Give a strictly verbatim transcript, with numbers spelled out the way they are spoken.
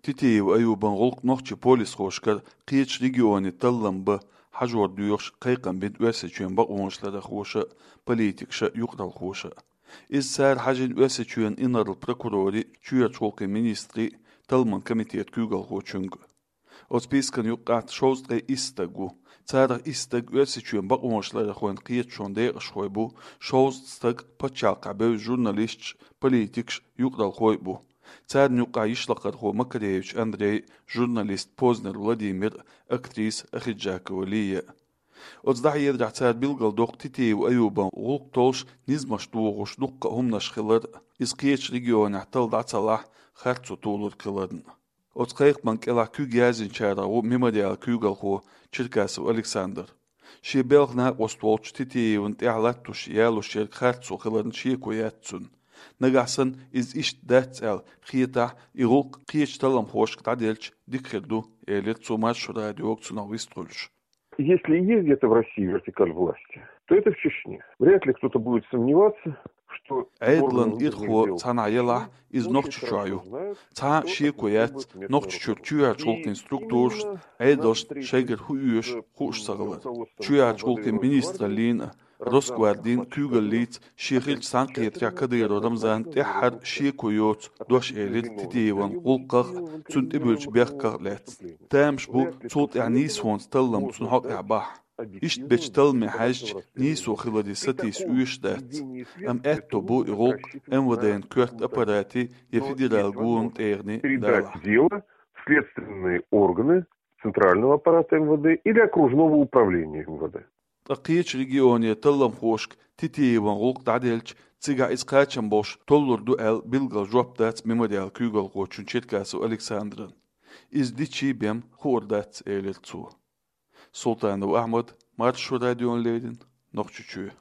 Титиев Аюбан гӀуллакх нохчий полисхошкара кхечу регионе таллам бан хьажор доьхуш кхайкхам бина Оьрсийчоьнан бакъонашларъярхоша а, политикаша а, юкъаралхоша а. Иза цара хьажийна Оьрсийчоьнан инарла прокуроре а, чоьхьарчу гӀуллакхийн министре а, талламан комитетан куьйгалхочуьнга а. Оцу спискана юккъехь шовзткъе исс стаг ву. Царах исс стаг Оьрсийчоьнан бакъонашларъярхойн кхеташонан декъашхой бу, шовзткъа стаг пачхьалкхехь бевза журналисташ а, политикаш а, юкъаралхой а бу. Царна юккъехь йишлакхархо Макаревич Андрей а, журналист Познер Владимир а, актриса Ахиджакова Лия а. Оцу дӀахьедарехь, цара билгалдоккху Титиев Аюбан гӀуллакх толлуш низамаш дохош дуккха а хӀуманаш хилар а, иза кхечу регионехь талла дӀа ца лахь, харцо толург хиларна а. Оцу кхайкхаман кӀелахь куьг яздинчарах ву «Мемориалан» куьйгалхо Черкасов Александр. Шен белхан накъост волчу Титиевна тӀехь латтош ялош ерг харцо хиларна шеко яц цунна. Нагахь санна иза иштта дац аьлла хетахь, и гӀуллакх кхечу талламхошка дӀаделча дика хир ду, элира цо Маршо радиога цунах вистхуьлуш. Если и есть где-то в России вертикаль власти, то это в Чечне. Вряд ли кто-то будет сомневаться, что Ӏедалан ирхо цхьанхьа елахь, иза Нохчийчохь ю. Цхьа а шеко яц, Нохчийчуьра чоьхьарчу гӀуллакхийн структурашна Ӏедалшна шайгара хӀун оьшу хууш ца хилар. Чоьхьарчу гӀуллакхийн министраллина а, Росгвардин а куьйгаллица шен хиллачу цхьаьнакхетарехь Кадыров Рамзанна тӀаьххьара шеко йоцу дош элира Титиеван гӀуллакхах а, цунна тӀебуьллучу бехках а лаьцна. Тамаш бу, цул тӀаьхьа нийсонца таллам цунна хьокъехь бахь. Иштта бечу талламе хьаьжча, нийсо хиларе сатийса оьшуш дац. Амма аьтто бу и гӀуллакх МВД-н коьрта аппарате я федералан гонан тӀегӀане далахь. Передать дело в следственные органы центрального аппарата МВД или окружного управления МВД. Ткъа кхечу регионе талламхошка Титиеван гӀуллакх дӀаделча, цигахь иза кхачам болуш толлур ду аьлла билггал жоп дац «Мемориалан» куьйгалхочун Черкасов Александран. Иза дичий бен хуур дац, элира цо. Султанов Ахьмад, Маршо радиона леррина, Нохчийчоь.